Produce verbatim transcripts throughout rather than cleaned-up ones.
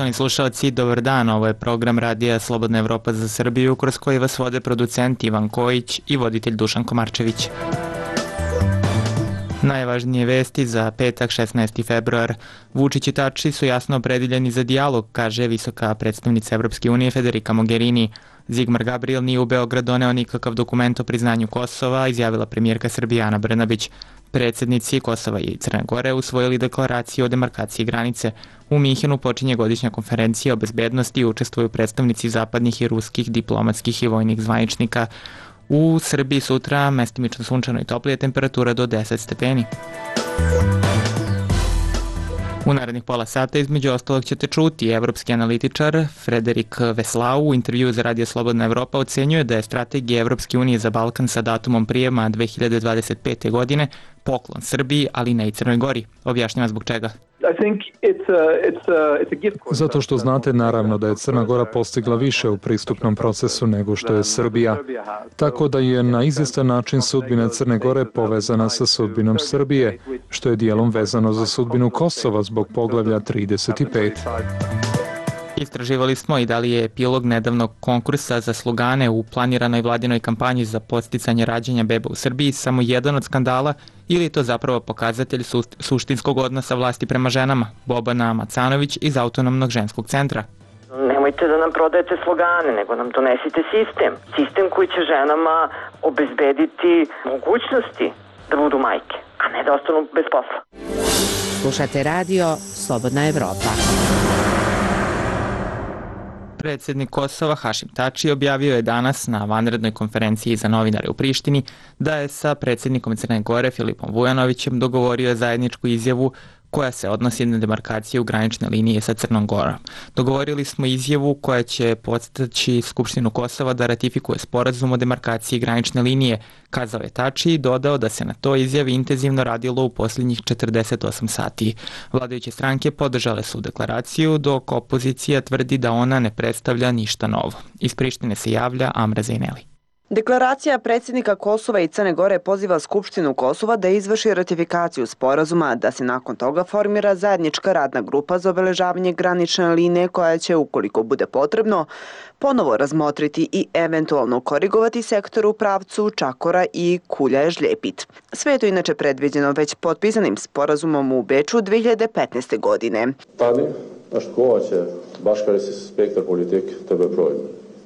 Poštovani slušalci, dobar dan, ovo je program radija Slobodna Evropa za Srbiju, kroz koji vas vode producent Ivan Kojić i voditelj Dušan Komarčević. Najvažnije vesti za petak šesnaesti februar. Vučić i Tači su jasno opredeljeni za dijalog, kaže visoka predstavnica Evropske unije Federica Mogherini. Zigmar Gabriel nije u Beograd doneo nikakav dokument o priznanju Kosova, izjavila premijerka Srbije Ana Brnabić. Predsednici Kosova i Crne Gore usvojili deklaraciju o demarkaciji granice. U Minhenu počinje godišnja konferencija o bezbednosti i učestvuju predstavnici zapadnih i ruskih diplomatskih i vojnih zvaničnika. U Srbiji sutra mestimično sunčano i toplije, temperatura do deset stepeni. U narednih pola sata između ostalog ćete čuti evropski analitičar Frederik Veslau u intervjuu za Radio Slobodna Evropa ocenjuje da je strategija Evropske unije za Balkan sa datumom prijema dve hiljade dvadeset pete. godine poklon Srbiji, ali ne i Crnoj Gori. Objašnjava zbog čega. Zato što znate naravno da je Crna Gora postigla više u pristupnom procesu nego što je Srbija. Tako da je na izvestan način sudbina Crne Gore povezana sa sudbinom Srbije, što je dijelom vezano za sudbinu Kosova zbog poglavlja trideset pet. Istraživali smo i da li je epilog nedavnog konkursa za slugane u planiranoj vladinoj kampanji za podsticanje rađanja beba u Srbiji samo jedan od skandala ili je to zapravo pokazatelj su, suštinskog odnosa vlasti prema ženama. Bobana Macanović iz Autonomnog ženskog centra. Nemojte da nam prodajete slogane, nego nam donesite sistem. Sistem koji će ženama obezbediti mogućnosti da budu majke, a ne da ostanu bez posla. Slušate radio Slobodna Evropa. Predsjednik Kosova Hašim Tači objavio je danas na vanrednoj konferenciji za novinare u Prištini da je sa predsjednikom Crne Gore Filipom Vujanovićem dogovorio zajedničku izjavu koja se odnosi na demarkaciju granične linije sa Crnom Gorom. Dogovorili smo izjavu koja će podstaći Skupštinu Kosova da ratifikuje sporazum o demarkaciji granične linije, kazao je Tači i dodao da se na toj izjavi intenzivno radilo u posljednjih četrdeset osam sati. Vladajuće stranke podržale su deklaraciju, dok opozicija tvrdi da ona ne predstavlja ništa novo. Iz Prištine se javlja Amra Zejneli. Deklaracija predsjednika Kosova i Crne Gore poziva Skupštinu Kosova da izvrši ratifikaciju sporazuma, da se nakon toga formira zajednička radna grupa za obeležavanje granične linije koja će, ukoliko bude potrebno, ponovo razmotriti i eventualno korigovati sektor u pravcu Čakora i Kulja-Žljepit. Sve je to inače predviđeno već potpisanim sporazumom u Beču dve hiljade petnaeste. godine. Tadi, naškovaće Baškarisi spektar politik tebe projima.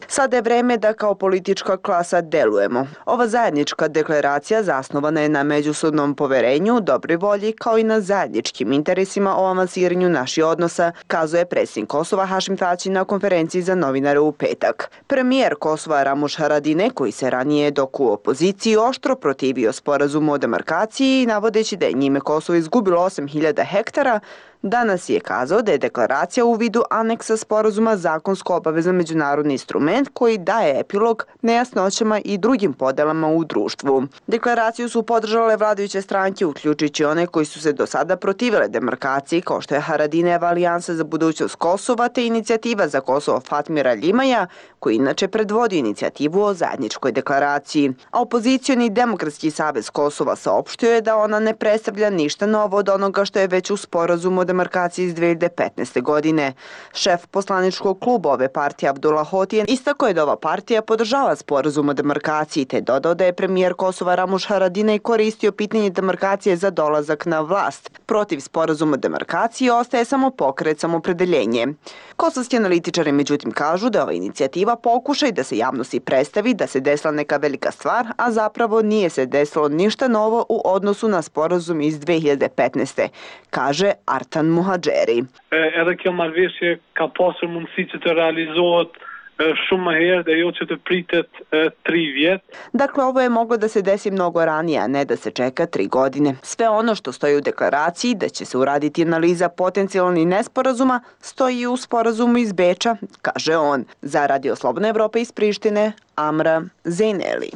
Sada je vreme da kao politička klasa delujemo. Ova zajednička deklaracija zasnovana je na međusobnom poverenju, dobroj volji kao i na zajedničkim interesima o avansiranju naših odnosa, kazuje predsjednik Kosova Hašim Tači na konferenciji za novinare u petak. Premijer Kosova Ramuš Haradine, koji se ranije dok u opoziciji oštro protivio sporazumu o demarkaciji, navodeći da je njime Kosovo izgubilo osam hiljada hektara, danas je kazao da je deklaracija u vidu aneksa sporazuma zakonsko obavezan međunarodni instrument koji daje epilog nejasnoćama i drugim podelama u društvu. Deklaraciju su podržale vladajuće stranke, uključujući one koji su se do sada protivile demarkaciji, kao što je Haradineva alijansa za budućnost Kosova te inicijativa za Kosovo Fatmira Ljimaja, koji inače predvodi inicijativu o zajedničkoj deklaraciji. A opozicioni Demokratski savez Kosova saopštio je da ona ne predstavlja ništa novo od onoga što je već u sporazumu o demarkaciji iz dve hiljade petnaeste. godine. Šef poslaničkog kluba ove partije Abdullah Hoti istakao je da ova partija podržava sporazum o demarkaciji te dodao da je premijer Kosova Ramuš Haradinaj koristio pitanje demarkacije za dolazak na vlast. Protiv sporazuma o demarkaciji ostaje samo pokret samopredeljenje. Kosovski analitičari međutim kažu da ova inicijativa pokušaj da se javnosti predstavi da se desila neka velika stvar, a zapravo nije se desilo ništa novo u odnosu na sporazum iz dve hiljade petnaeste. kaže Artan Muhadžeri. Edhe kjo marrëveshje ka pasur mundësi që të realizohet shumë më herë dhe jo që të pritet tri vjet. Dakle, ovo je moglo da se desi mnogo ranije, a ne da se čeka tri godine. Sve ono što stoji u deklaraciji da će se uraditi analiza potencijalnih nesporazuma stoji u sporazumu iz Beča, kaže on. Za Radio Slobodna Evropa iz Prištine, Amra Zejneli.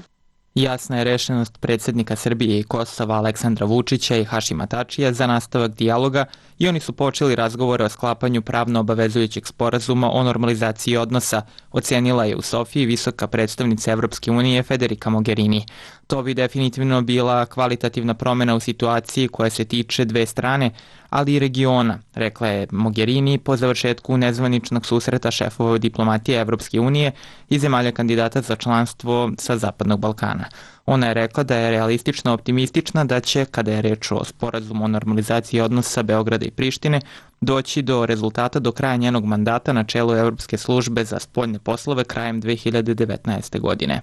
Jasna je rešenost predsjednika Srbije i Kosova Aleksandra Vučića i Hašima Tačija za nastavak dijaloga i oni su počeli razgovore o sklapanju pravno obavezujućeg sporazuma o normalizaciji odnosa, ocenila je u Sofiji visoka predstavnica Evropske unije Federica Mogherini. To bi definitivno bila kvalitativna promjena u situaciji koja se tiče dve strane, ali i regiona, rekla je Mogherini po završetku nezvaničnog susreta šefova diplomatije Evropske unije i zemalja kandidata za članstvo sa Zapadnog Balkana. Ona je rekla da je realistično optimistična da će, kada je reč o sporazumu o normalizaciji odnosa Beograda i Prištine, doći do rezultata do kraja njenog mandata na čelu Evropske službe za spoljne poslove krajem dve hiljade devetnaeste. godine.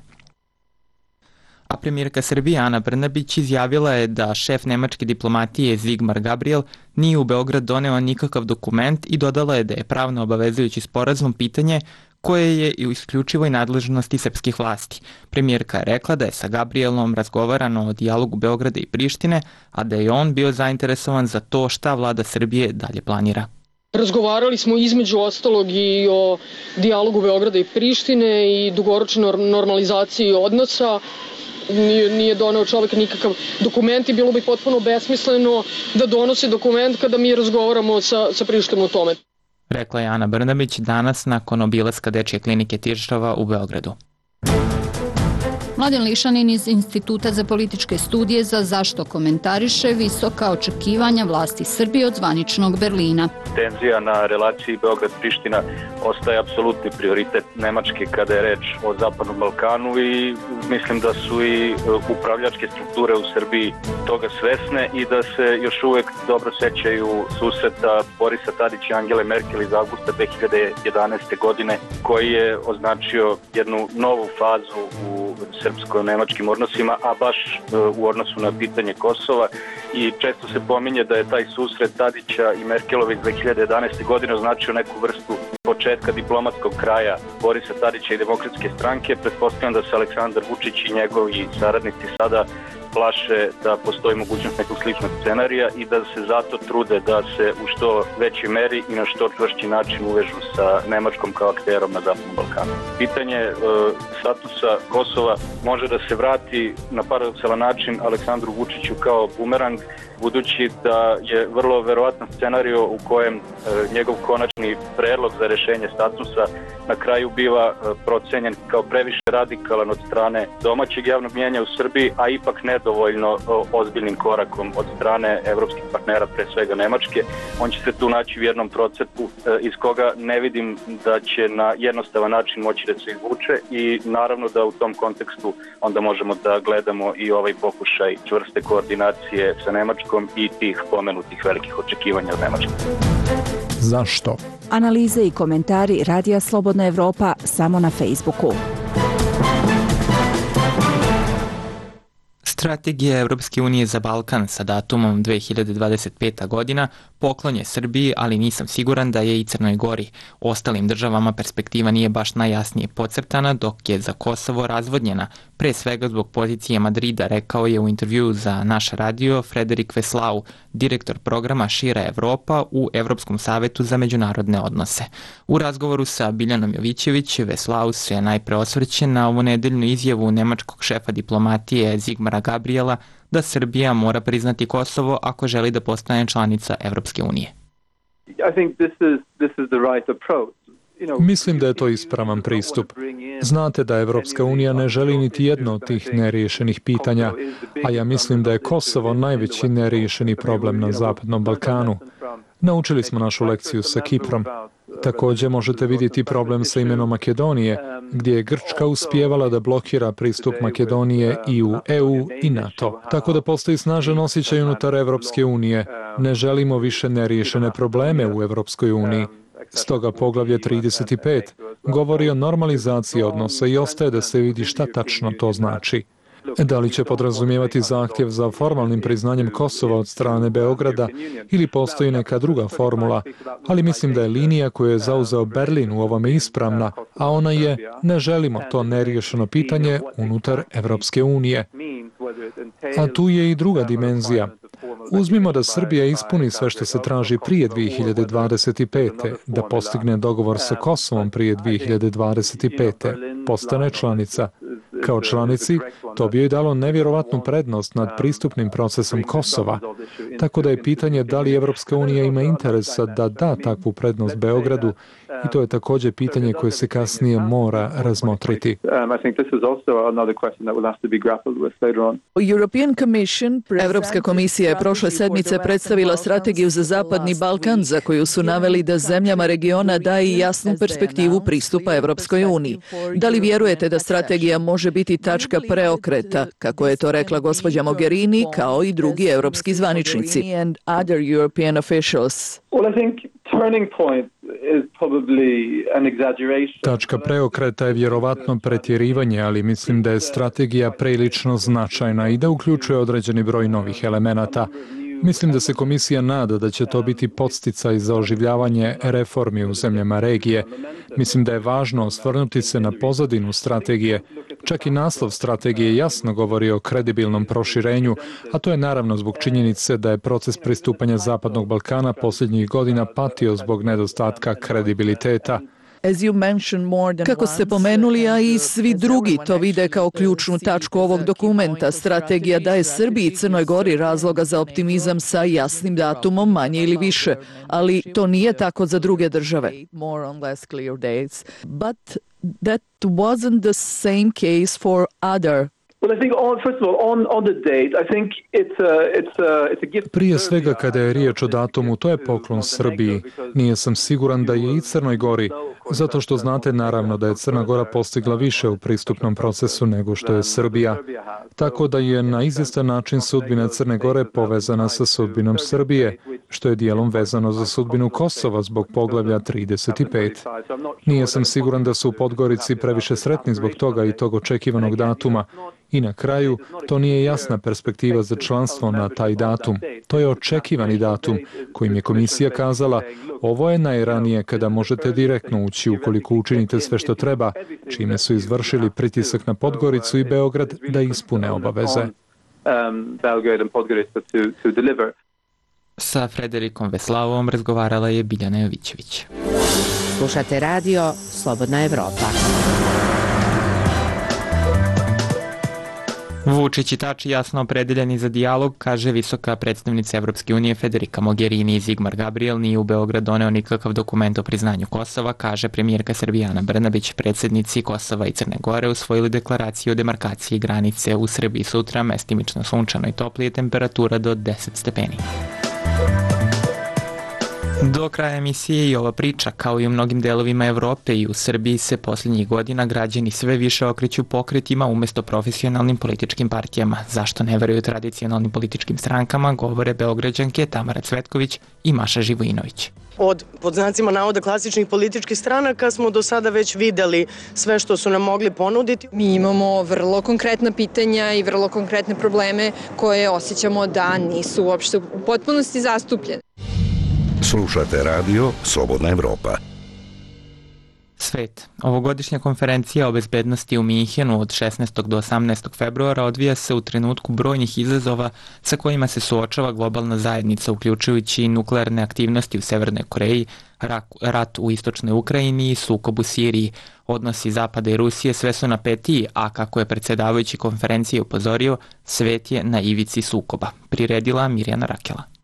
A premijerka Srbije Ana Brnabić izjavila je da šef nemačke diplomatije Sigmar Gabriel nije u Beograd doneo nikakav dokument i dodala je da je pravno obavezujući sporazum pitanje koje je i u isključivoj nadležnosti srpskih vlasti. Premijerka je rekla da je sa Gabrielom razgovarano o dijalogu Beograda i Prištine, a da je on bio zainteresovan za to šta vlada Srbije dalje planira. Razgovarali smo između ostalog i o dijalogu Beograda i Prištine i dugoročnoj normalizaciji odnosa. Nije, nije doneo čovjek nikakav dokument i bilo bi potpuno besmisleno da donosi dokument kada mi razgovaramo sa, sa Prištinom o tome. Rekla je Ana Brnabić danas nakon obilaska Dečje klinike Tiršova u Beogradu. Mladen Lišanin iz Instituta za političke studije za zašto komentariše visoka očekivanja vlasti Srbije od zvaničnog Berlina. Tenzija na relaciji Beograd-Priština ostaje apsolutni prioritet Nemačke kada je reč o Zapadnom Balkanu i mislim da su i upravljačke strukture u Srbiji toga svesne i da se još uvek dobro sećaju susreta Borisa Tadića i Angele Merkel iz avgusta dve hiljade jedanaeste. godine koji je označio jednu novu fazu u srpsko-nemačkim odnosima, a baš u odnosu na pitanje Kosova i često se pominje da je taj susret Tadića i Merkelove iz dve hiljade jedanaeste. godine označio neku vrstu početka diplomatskog kraja Borisa Tadića i Demokratske stranke. Pretpostavljam da se Aleksandar Vučić i njegovi saradnici sada plaše da postoji mogućnost nekog sličnog scenarija i da se zato trude da se u što većoj meri i na što čvršći način uvežu sa Nemačkom kao akterom na Zapadnom Balkanu. Pitanje e, statusa Kosova može da se vrati na paradoksalan način Aleksandru Vučiću kao bumerang, budući da je vrlo verovatno scenario u kojem e, njegov konačni predlog za rešenje statusa na kraju biva e, procenjen kao previše radikalan od strane domaćeg javnog mnijenja u Srbiji, a ipak nedovoljno o, ozbiljnim korakom od strane evropskih partnera, pre svega Nemačke. On će se tu naći u jednom procepu e, iz koga ne vidim da će na jednostavan način moći da se izvuče i naravno da u tom kontekstu onda možemo da gledamo i ovaj pokušaj čvrste koordinacije sa Nemačkom i tih pomenutih velikih očekivanja od Nemačke. Zašto? Analize i komentari Radija Slobodna Evropa samo na Facebooku. Strategija Evropske unije za Balkan sa datumom dve hiljade dvadeset peta. godina poklon je Srbiji, ali nisam siguran da je i Crnoj Gori. Ostalim državama perspektiva nije baš najjasnije podcrtana, dok je za Kosovo razvodnjena, pre svega zbog pozicije Madrida, rekao je u intervjuu za naš radio Frederik Veslau, direktor programa Šira Evropa u Evropskom savetu za međunarodne odnose. U razgovoru sa Biljanom Jovićević, Veslau se najpre osvrće na ovonedeljnu izjavu nemačkog šefa diplomatije Sigmara Gabriela da Srbija mora priznati Kosovo ako želi da postane članica Evropske unije. Mislim da je to ispravan pristup. Znate da Evropska unija ne želi niti jedno od tih neriješenih pitanja, a ja mislim da je Kosovo najveći neriješeni problem na Zapadnom Balkanu. Naučili smo našu lekciju sa Kiprom. Također možete vidjeti problem sa imenom Makedonije, gdje je Grčka uspijevala da blokira pristup Makedonije i u E U i NATO. Tako da postoji snažan osjećaj unutar Evropske unije. Ne želimo više neriješene probleme u Evropskoj uniji. Stoga poglavlje trideset pet govori o normalizaciji odnosa i ostaje da se vidi šta tačno to znači. Da li će podrazumijevati zahtjev za formalnim priznanjem Kosova od strane Beograda ili postoji neka druga formula, ali mislim da je linija koju je zauzeo Berlin u ovome ispravna, a ona je ne želimo to neriješeno pitanje unutar Evropske unije. A tu je i druga dimenzija. Uzmimo da Srbija ispuni sve što se traži prije dve hiljade dvadeset pete. da postigne dogovor sa Kosovom prije dve hiljade dvadeset pete. postane članica. Kao članici, to bi joj dalo nevjerovatnu prednost nad pristupnim procesom Kosova, tako da je pitanje da li Evropska unija ima interesa da da takvu prednost Beogradu i to je također pitanje koje se kasnije mora razmotriti. Evropska komisija je prošle sedmice predstavila strategiju za Zapadni Balkan za koju su naveli da zemljama regiona daje jasnu perspektivu pristupa Evropskoj uniji. Da li vjerujete da strategija može biti tačka preokreta, kako je to rekla gospođa Mogherini, kao i drugi evropski zvaničnici? Tačka preokreta je vjerovatno pretjerivanje, ali mislim da je strategija prilično značajna i da uključuje određeni broj novih elemenata. Mislim da se komisija nada da će to biti podsticaj za oživljavanje reformi u zemljama regije. Mislim da je važno osvrnuti se na pozadinu strategije. Čak i naslov strategije jasno govori o kredibilnom proširenju, a to je naravno zbog činjenice da je proces pristupanja Zapadnog Balkana posljednjih godina patio zbog nedostatka kredibiliteta. Kako ste pomenuli, a i svi drugi to vide kao ključnu tačku ovog dokumenta, strategija daje Srbiji i Crnoj Gori razloga za optimizam sa jasnim datumom, manje ili više, ali to nije tako za druge države. But that wasn't the same case for other. Prije svega kada je riječ o datumu, to je poklon Srbiji. Nije sam siguran da je i Crnoj Gori, zato što znate naravno da je Crna Gora postigla više u pristupnom procesu nego što je Srbija. Tako da je na izvjestan način sudbina Crne Gore povezana sa sudbinom Srbije, što je dijelom vezano za sudbinu Kosova zbog poglavlja trideset pet. Nije sam siguran da su u Podgorici previše sretni zbog toga i tog očekivanog datuma. I na kraju, to nije jasna perspektiva za članstvo na taj datum. To je očekivani datum kojim je komisija kazala ovo je najranije kada možete direktno ući ukoliko učinite sve što treba, čime su izvršili pritisak na Podgoricu i Beograd da ispune obaveze. Sa Frederikom Veslavom razgovarala je Biljana Jovićević. Slušate radio Slobodna Evropa. Vučić i Tači jasno opredeljeni za dijalog, kaže visoka predstavnica Evropske unije Federica Mogherini i Zigmar Gabriel nije u Beograd doneo nikakav dokument o priznanju Kosova, kaže premijerka Srbije Ana Brnabić. Predsjednici Kosova i Crne Gore usvojili deklaraciju o demarkaciji granice u Srbiji sutra, mestimično sunčano i toplije, temperatura do deset stepeni. Do kraja emisije i ova priča, kao i u mnogim delovima Evrope i u Srbiji, se posljednjih godina građani sve više okreću pokretima umjesto profesionalnim političkim partijama. Zašto ne veruju tradicionalnim političkim strankama, govore Beograđanke Tamara Cvetković i Maša Živojinović. Od, pod znacima navoda, klasičnih političkih stranaka smo do sada već videli sve što su nam mogli ponuditi. Mi imamo vrlo konkretna pitanja i vrlo konkretne probleme koje osjećamo da nisu uopšte u potpunosti zastupljene. Slušate radio Slobodna Evropa. Svet. Ovogodišnja konferencija o bezbednosti u Minhenu od šesnaestog do osamnaestog februara odvija se u trenutku brojnih izazova sa kojima se suočava globalna zajednica, uključujući i nuklearne aktivnosti u Severnoj Koreji, rat u istočnoj Ukrajini i sukob u Siriji. Odnosi Zapada i Rusije sve su napetiji, a kako je predsjedavajući konferencije upozorio, svet je na ivici sukoba. Priredila Mirjana Rakela.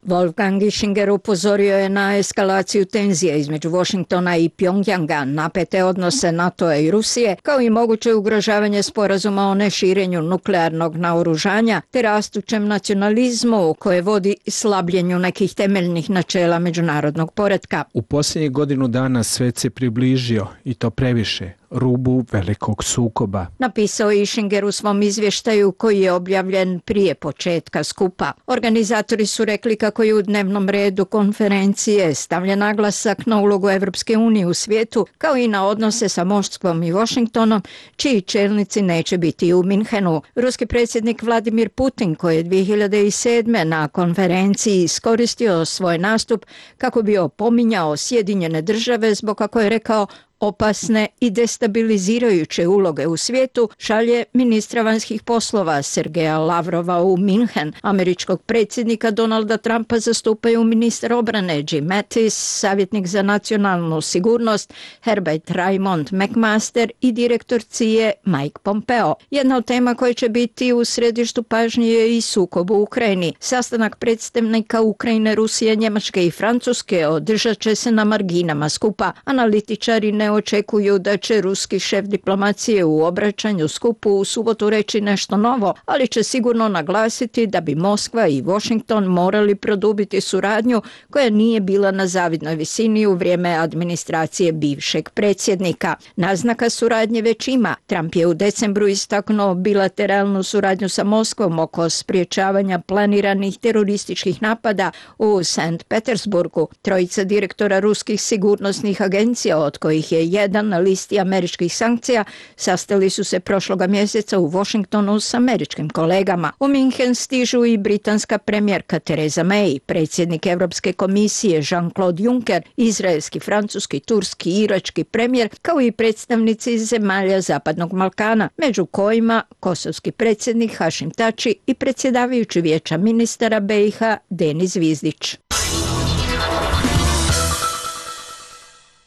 Wolfgang Ischinger upozorio je na eskalaciju tenzija između Washingtona i Pjongjanga, napete odnose NATO-a i Rusije, kao i moguće ugrožavanje sporazuma o neširenju nuklearnog naoružanja, te rastućem nacionalizmu koje vodi slabljenju nekih temeljnih načela međunarodnog poretka. U posljednjih godinu dana svet se približio, i to previše, rubu velikog sukoba. Napisao je Ischinger u svom izvještaju koji je objavljen prije početka skupa. Organizatori su rekli kako je u dnevnom redu konferencije stavljen naglasak na ulogu Evropske unije u svijetu, kao i na odnose sa Moskvom i Washingtonom, čiji čelnici neće biti u Minhenu. Ruski predsjednik Vladimir Putin, koji je dvije hiljade sedme. na konferenciji iskoristio svoj nastup kako bi opominjao Sjedinjene države zbog, kako je rekao, opasne i destabilizirajuće uloge u svijetu, šalje ministra vanjskih poslova Sergeja Lavrova u Minhen. Američkog predsjednika Donalda Trumpa zastupaju ministar obrane Jim Mattis, savjetnik za nacionalnu sigurnost Herbert Raymond McMaster i direktor C I A Mike Pompeo. Jedna od tema koja će biti u središtu pažnje je i sukob u Ukrajini. Sastanak predstavnika Ukrajine, Rusije, Njemačke i Francuske održat će se na marginama skupa. Analitičari ne očekuju da će ruski šef diplomacije u obraćanju skupu u subotu reći nešto novo, ali će sigurno naglasiti da bi Moskva i Washington morali produbiti suradnju koja nije bila na zavidnoj visini u vrijeme administracije bivšeg predsjednika. Naznaka suradnje već ima. Trump je u decembru istaknuo bilateralnu suradnju sa Moskvom oko spriječavanja planiranih terorističkih napada u Sankt Petersburgu. Trojica direktora ruskih sigurnosnih agencija, od kojih je jedan na listi američkih sankcija, sastali su se prošloga mjeseca u Washingtonu s američkim kolegama. U Minhen stižu i britanska premijerka Theresa May, predsjednik Europske komisije Jean-Claude Juncker, izraelski, francuski, turski i irački premijer, kao i predstavnici zemalja Zapadnog Balkana, među kojima kosovski predsjednik Hašim Tači i predsjedavajući Vijeća ministara B i H Denis Zvizdić.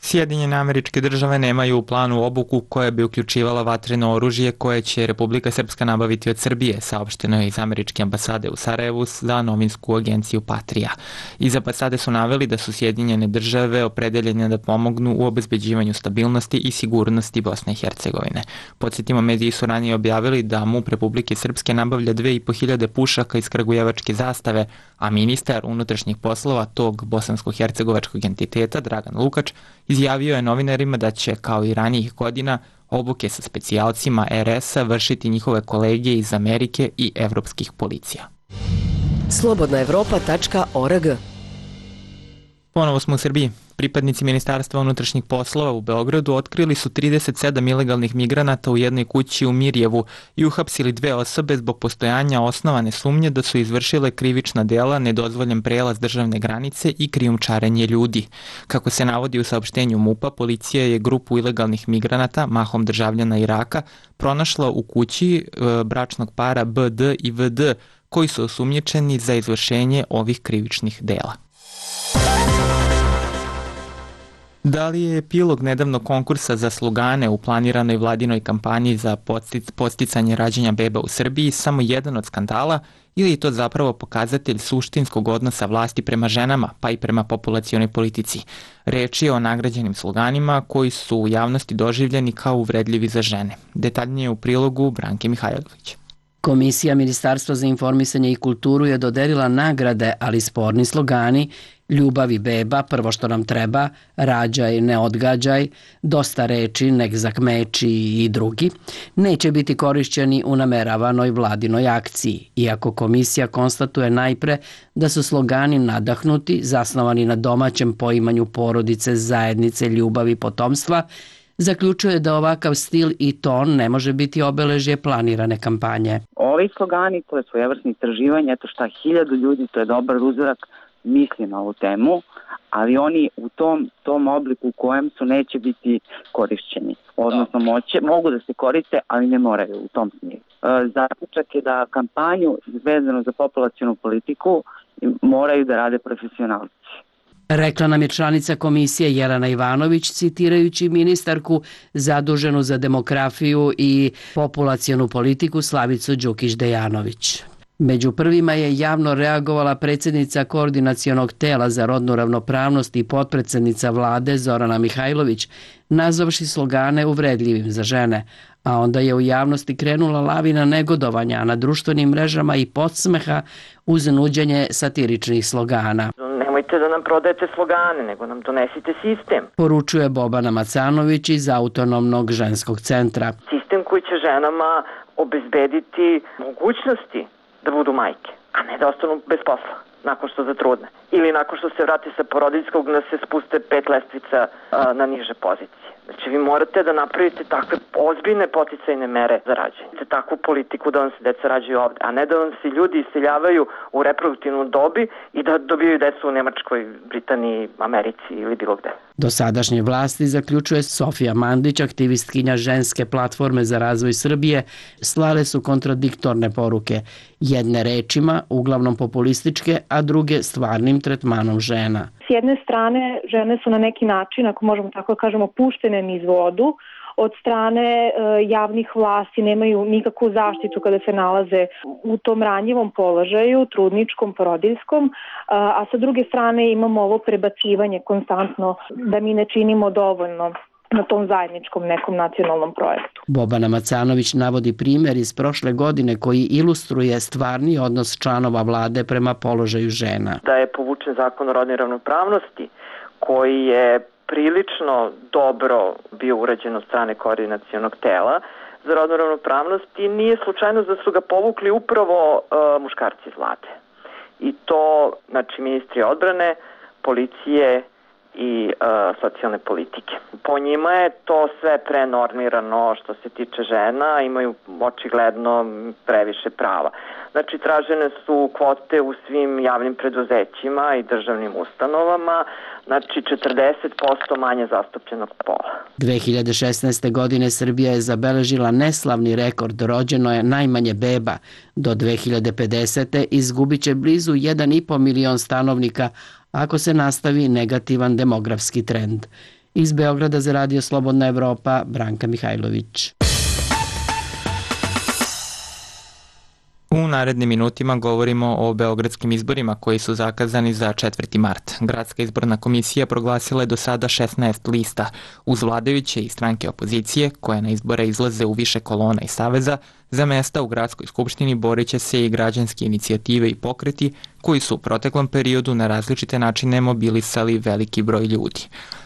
Sjedinjene Američke Države nemaju u planu obuku koja bi uključivala vatreno oružje koje će Republika Srpska nabaviti od Srbije, saopšteno je iz američke ambasade u Sarajevu za novinsku agenciju Patria. Iz ambasade su naveli da su Sjedinjene Države opredeljene da pomognu u obezbeđivanju stabilnosti i sigurnosti Bosne i Hercegovine. Podsjetimo, mediji su ranije objavili da MUP Republike Srpske nabavlja dve i po hiljade pušaka iz kragujevačke zastave, a ministar unutrašnjih poslova tog bosansko-hercegovačkog entiteta, Dragan Lukač, izjavio je novinarima da će, kao i ranijih godina, obuke sa specijalcima R S-a vršiti njihove kolege iz Amerike i evropskih policija. slobodna evropa tačka org. Ponovo smo u Srbiji. Pripadnici Ministarstva unutrašnjih poslova u Beogradu otkrili su trideset sedam ilegalnih migranata u jednoj kući u Mirjevu i uhapsili dve osobe zbog postojanja osnovane sumnje da su izvršile krivična dela, nedozvoljen prelaz državne granice i krijumčarenje ljudi. Kako se navodi u saopštenju MUP-a, policija je grupu ilegalnih migranata, mahom državljana Iraka, pronašla u kući bračnog para B D i V D, koji su osumnjičeni za izvršenje ovih krivičnih dela. Da li je epilog nedavnog konkursa za slugane u planiranoj vladinoj kampanji za podsticanje rađanja beba u Srbiji samo jedan od skandala ili je to zapravo pokazatelj suštinskog odnosa vlasti prema ženama, pa i prema populacionoj politici? Reč je o nagrađenim sluganima koji su u javnosti doživljeni kao uvredljivi za žene. Detaljnije u prilogu Branke Mihajlović. Komisija Ministarstva za informisanje i kulturu je dodelila nagrade, ali sporni slogani Ljubav i beba, prvo što nam treba, rađaj, ne odgađaj, dosta reči, nek zakmeči i drugi, neće biti korišćeni u nameravanoj vladinoj akciji, iako komisija konstatuje najpre da su slogani nadahnuti, zasnovani na domaćem poimanju porodice, zajednice, ljubavi, potomstva, zaključuje da ovakav stil i ton ne može biti obeležje planirane kampanje. Ovi slogani, to je svojevrsno istraživanje, eto šta, hiljadu ljudi, to je dobar uzorak, misli na ovu temu, ali oni u tom, tom obliku u kojem su neće biti korišćeni. Odnosno moće, mogu da se koriste, ali ne moraju u tom smislu. Zaključak je da kampanju vezano za populacionu politiku moraju da rade profesionalci. Rekla nam je članica komisije Jelena Ivanović, citirajući ministarku zaduženu za demografiju i populacionu politiku Slavicu Đukić-Dejanović. Među prvima je javno reagovala predsjednica Koordinacionog tela za rodnu ravnopravnost i potpredsjednica vlade Zorana Mihajlović, nazvavši slogane uvredljivim za žene, a onda je u javnosti krenula lavina negodovanja na društvenim mrežama i podsmeha uz nuđenje satiričnih slogana. Nemojte da nam prodajete slogane, nego nam donesite sistem. Poručuje Bobana Macanović iz Autonomnog ženskog centra. Sistem koji će ženama obezbediti mogućnosti da budu majke, a ne da ostanu bez posla nakon što zatrudne. Ili nakon što se vrati sa porodiljskog da se spuste pet lestvica a, na niže pozicije. Znači vi morate da napravite takve ozbiljne poticajne mere za rađanje. Takvu politiku da vam se deca rađaju ovde, a ne da vam se ljudi iseljavaju u reproduktivnu dobi i da dobijaju decu u Nemačkoj, Britaniji, Americi ili bilo gde. Dosadašnje vlasti, zaključuje Sofija Mandić, aktivistkinja Ženske platforme za razvoj Srbije, slale su kontradiktorne poruke, jedne rečima, uglavnom populističke, a druge stvarnim tretmanom žena. S jedne strane, žene su na neki način, ako možemo tako kažemo, puštene niz vodu, od strane e, javnih vlasti nemaju nikakvu zaštitu kada se nalaze u tom ranjivom položaju, trudničkom, porodiljskom, a, a sa druge strane imamo ovo prebacivanje konstantno da mi ne činimo dovoljno na tom zajedničkom nekom nacionalnom projektu. Bobana Macanović navodi primjer iz prošle godine koji ilustruje stvarni odnos članova vlade prema položaju žena. Da je povučen zakon o rodnoj ravnopravnosti koji je prilično dobro bio urađen od strane koordinacionog tela za rodnu ravnopravnost i nije slučajno da su ga povukli upravo uh, muškarci iz vlade. I to, znači, ministri odbrane, policije i uh, socijalne politike. Po njima je to sve prenormirano što se tiče žena, imaju očigledno previše prava. Znači, tražene su kvote u svim javnim preduzećima i državnim ustanovama, znači četrdeset posto manje zastupljenog pola. dve hiljade šesnaeste. godine Srbija je zabeležila neslavni rekord, rođeno je najmanje beba. Do dve hiljade pedesete. izgubit će blizu jedan i po milion stanovnika ako se nastavi negativan demografski trend. Iz Beograda za Radio Slobodna Evropa, Branka Mihajlović. U narednim minutima govorimo o beogradskim izborima koji su zakazani za četvrti mart. Gradska izborna komisija proglasila je do sada šesnaest lista. Uz vladajuće i stranke opozicije, koje na izbore izlaze u više kolona i saveza, za mesta u gradskoj skupštini borit će se i građanske inicijative i pokreti koji su u proteklom periodu na različite načine mobilisali veliki broj ljudi.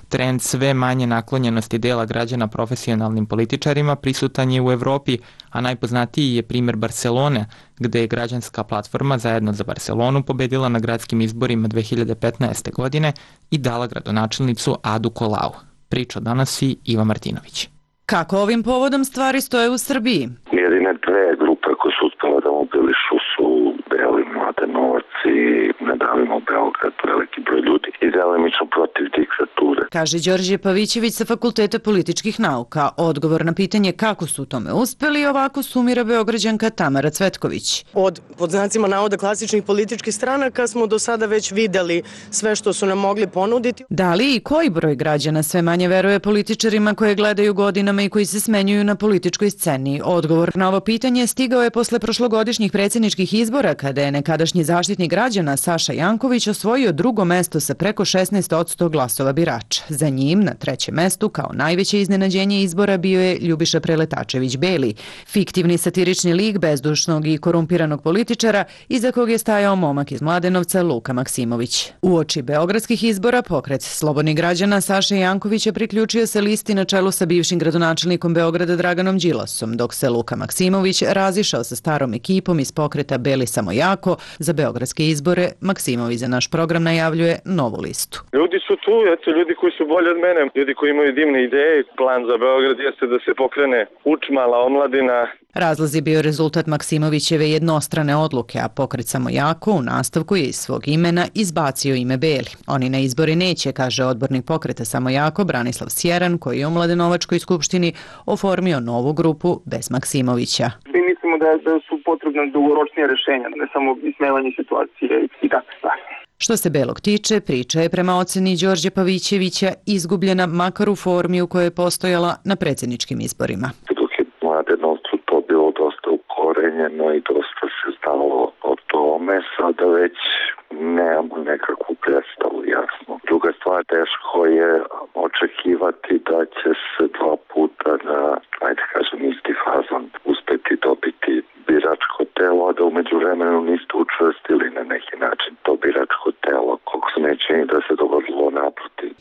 Trend sve manje naklonjenosti dela građana profesionalnim političarima prisutan je u Evropi, a najpoznatiji je primer Barcelone, gde je građanska platforma Zajedno za Barcelonu pobedila na gradskim izborima dve hiljade petnaeste. godine i dala gradonačelnicu Adu Colau. Priča donosi Iva Martinović. Kako ovim povodom stvari stoje u Srbiji? Jedine dve grupe koje su uspjela da mobilišu su Beli Mladenovac i Ne davimo Beograd, veliki broj ljudi i delimično protiv diktature. Kaže Đorđe Pavićević sa Fakulteta političkih nauka. Odgovor na pitanje kako su u tome uspeli ovako sumira Beograđanka Tamara Cvetković. Od, pod znacima navoda, klasičnih političkih stranaka smo do sada već videli sve što su nam mogli ponuditi. Da li i koji broj građana sve manje veruje političarima koje gledaju godinama i koji se smenjuju na političkoj sceni? Odgovor na ovo pitanje stigao je posle prošlogodišnjih predsjedničkih izbora kada je nekadašnji zaštitnik građana Saša Janković osvojio drugo mesto sa preko šesnaest posto glasova birača. Za njim na trećem mestu kao najveće iznenađenje izbora bio je Ljubiša Preletačević Beli, fiktivni satirični lik bezdušnog i korumpiranog političara iza kog je stajao momak iz Mladenovca Luka Maksimović. Uoči beogradskih izbora pokret Slobodnih građana Saša Jankovića priključio se listi na čelu sa bivšim gradonačelnikom Beograda Draganom Đilasom, dok se Luka Maksimović razišao sa starom ekipom iz pokreta Beli samo jako. Za beogradske izbore Maksimović za naš program najavljuje novu listu. Ljudi su tu, eto, ljudi koji su bolji od mene, ljudi koji imaju divne ideje. Plan za Beograd jeste da se pokrene učmala omladina. Razlaz je bio rezultat Maksimovićeve jednostrane odluke, a pokret samo jako u nastavku je iz svog imena izbacio ime Beli. Oni na izbori neće, kaže odbornik pokreta samo jako Branislav Sjeran, koji je u Mladenovačkoj skupštini oformio novu grupu bez Maksimovića. Mi mislimo da, da su potrebne dugoročnije rešenja, ne samo ismevanje situacije i tako stvari. Što se Belog tiče, priča je prema oceni Đorđe Pavićevića izgubljena makar u formi u kojoj je postojala na predsjedničkim izborima. Dok je Mladenovcu to bilo dosta ukorenjeno i dosta se znalo o tome, sada već nemamo nekakvu predstavu, jasno. Druga stvar, teško je očekivati da će se dva puta na, ajde kažem, isti fazon uspeti dobiti biračko telo, a da umeđu vremenu niste učvrstili na neki način to biračko telo, koliko se ne čini da se dogodilo naprotiv.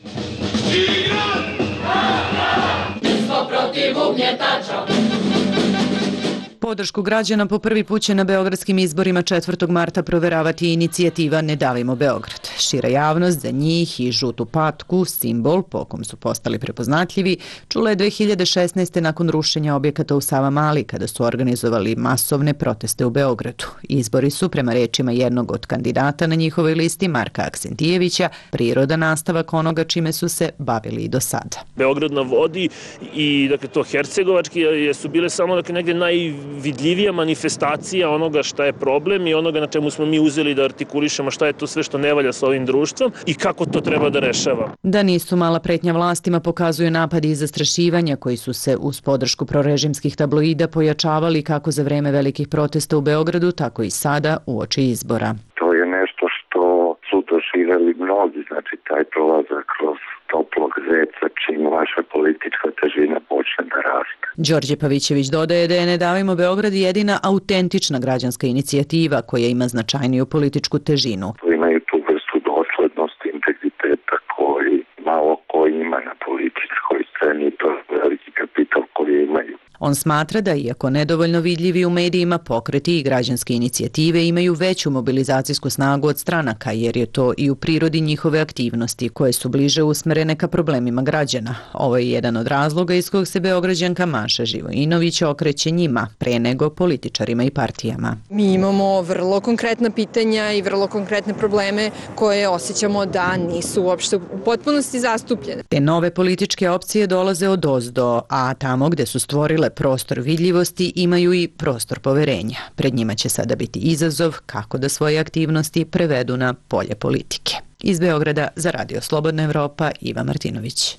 podršku građana po prvi put će na beogradskim izborima četvrtog marta proveravati inicijativa Ne davimo Beograd. Šira javnost za njih i žutu patku, simbol po kom su postali prepoznatljivi, čula je dve hiljade šesnaeste. nakon rušenja objekata u Savamali kada su organizovali masovne proteste u Beogradu. Izbori su, prema rečima jednog od kandidata na njihovoj listi, Marka Aksentijevića, priroda nastavak onoga čime su se bavili i do sada. Beograd na vodi i dakle, to hercegovački su bile samo dakle, negdje najvidljivija manifestacija onoga šta je problem i onoga na čemu smo mi uzeli da artikulišemo šta je to sve što ne valja sa ovim društvom i kako to treba da rešava. Da nisu mala pretnja vlastima pokazuju napadi i zastrašivanja koji su se uz podršku prorežimskih tabloida pojačavali kako za vreme velikih protesta u Beogradu, tako i sada uoči izbora. To je nešto što su doživjeli mnogi, znači taj prolazak kroz toplog zeca čim vaša politička težina počne da raste. Đorđe Pavićević dodaje da je Ne davimo Beograd jedina autentična građanska inicijativa koja ima značajniju političku težinu. Imaju tu vrstu doslednosti, integriteta koji malo ko ima na političkoj sceni, to je veliki kapital koji imaju. On smatra da, iako nedovoljno vidljivi u medijima, pokreti i građanske inicijative imaju veću mobilizacijsku snagu od stranaka, jer je to i u prirodi njihove aktivnosti, koje su bliže usmerene ka problemima građana. Ovo je jedan od razloga iz kojeg se Beograđanka Maša Živojinović okreće njima, pre nego političarima i partijama. Mi imamo vrlo konkretna pitanja i vrlo konkretne probleme koje osjećamo da nisu uopšte u potpunosti zastupljene. Te nove političke opcije dolaze od ozdo, a tamo gde su stvorile prostor vidljivosti imaju i prostor poverenja. Pred njima će sada biti izazov kako da svoje aktivnosti prevedu na polje politike. Iz Beograda za Radio Slobodna Evropa, Iva Martinović.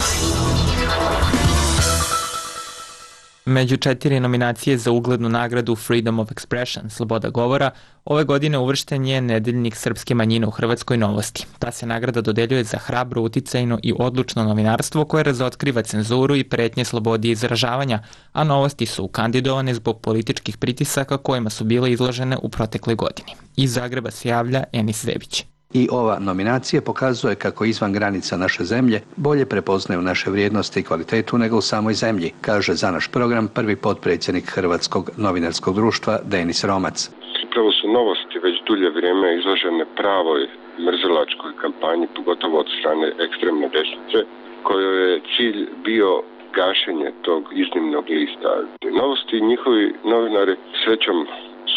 Među četiri nominacije za uglednu nagradu Freedom of Expression, sloboda govora, ove godine uvršten je nedeljnik srpske manjine u Hrvatskoj Novosti. Ta se nagrada dodeljuje za hrabro, uticajno i odlučno novinarstvo koje razotkriva cenzuru i pretnje slobodi izražavanja, a Novosti su kandidovane zbog političkih pritisaka kojima su bile izložene u protekle godini. Iz Zagreba se javlja Enis Zebić. I ova nominacija pokazuje kako izvan granica naše zemlje bolje prepoznaju naše vrijednosti i kvalitetu nego u samoj zemlji, kaže za naš program prvi potpredsjednik Hrvatskog novinarskog društva Denis Romac. Upravo su Novosti već dulje vrijeme izložene pravoj mrzilačkoj kampanji, pogotovo od strane ekstremne desnice, kojoj je cilj bio gašenje tog iznimnog lista. Novosti i njihovi novinari srećom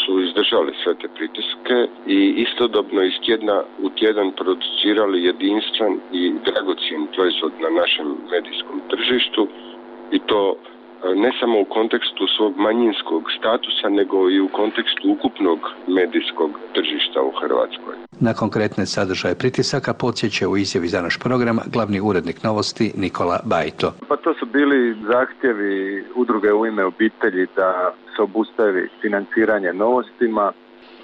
su izdržali sve te pritiske i istodobno iz tjedna u tjedan producirali jedinstven i dragocjen proizvod na našem medijskom tržištu i to ne samo u kontekstu svog manjinskog statusa, nego i u kontekstu ukupnog medijskog tržišta u Hrvatskoj. Na konkretne sadržaje pritisaka podsjeća u izjavi za naš program glavni urednik Novosti Nikola Bajto. Pa to su bili zahtjevi udruge U ime obitelji da se obustavi financiranje Novostima,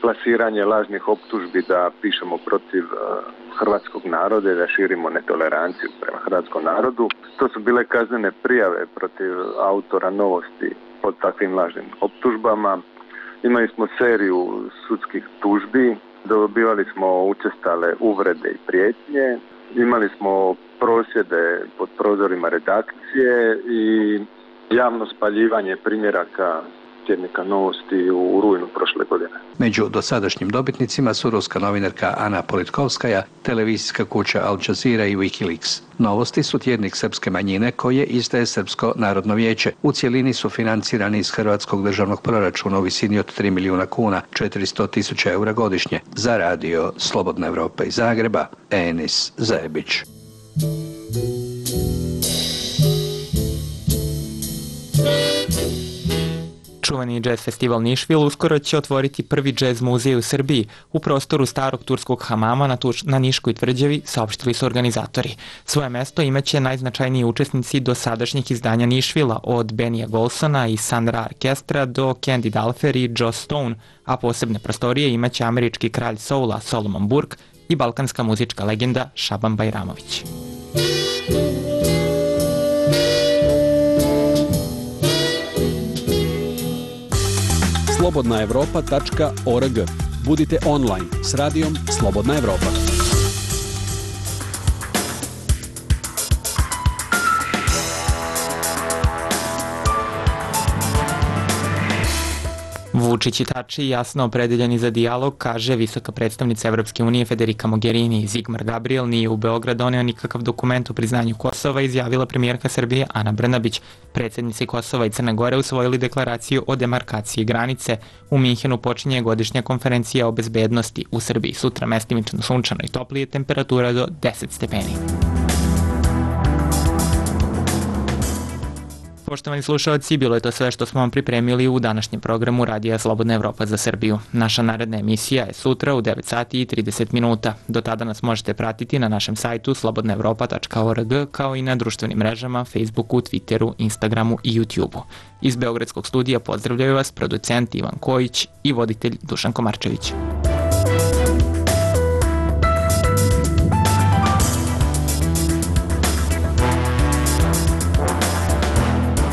plasiranje lažnih optužbi da pišemo protiv hrvatskog naroda i da širimo netoleranciju prema hrvatskom narodu. To su bile kaznene prijave protiv autora Novosti pod takvim lažnim optužbama. Imali smo seriju sudskih tužbi, dobivali smo učestale uvrede i prijetnje, imali smo prosvjede pod prozorima redakcije i javno spaljivanje primjeraka tjednika Novosti u rujnu prošle godine. Među dosadašnjim dobitnicima su ruska novinarka Ana Politkovskaja, televizijska kuća Al Jazeera i Wikileaks. Novosti su tjednik srpske manjine koje izdaje Srpsko narodno vijeće. U cijelini su financirani iz hrvatskog državnog proračuna u visini od tri milijuna kuna, četiristo tisuća eura godišnje. Za Radio Slobodna Evropa iz Zagreba, Enis Zebić. Čuveni džez festival Nišvil uskoro će otvoriti prvi džez muzej u Srbiji u prostoru starog turskog hamama na, tuš, na Niškoj tvrđavi, saopštili su organizatori. Svoje mesto imaće najznačajniji učesnici do sadašnjih izdanja Nišvila, od Benija Golsona i Sandra Orkestra do Candy Dalfer i Joe Stone, a posebne prostorije imaće američki kralj soula Solomon Burke i balkanska muzička legenda Šaban Bajramović. slobodna evropa tačka org. Budite online s radijom Slobodna Evropa. Vučić i Tači jasno opredeljeni za dijalog, kaže visoka predstavnica Evropske unije Federica Mogherini. Zigmar Gabriel nije u Beograd doneo nikakav dokument o priznanju Kosova, izjavila premijerka Srbije Ana Brnabić. Predsjednici Kosova i Crne Gore usvojili deklaraciju o demarkaciji granice. U Minhenu počinje godišnja konferencija o bezbednosti. U Srbiji sutra mestimično sunčano i toplije, temperatura do deset stepeni. Poštovani slušalci, bilo je to sve što smo vam pripremili u današnjem programu Radija Slobodna Evropa za Srbiju. Naša naredna emisija je sutra u devet sati i trideset minuta. Do tada nas možete pratiti na našem sajtu slobodna evropa tačka org kao i na društvenim mrežama, Facebooku, Twitteru, Instagramu i YouTubeu. Iz Beogradskog studija pozdravljaju vas producent Ivan Kojić i voditelj Dušan Komarčević.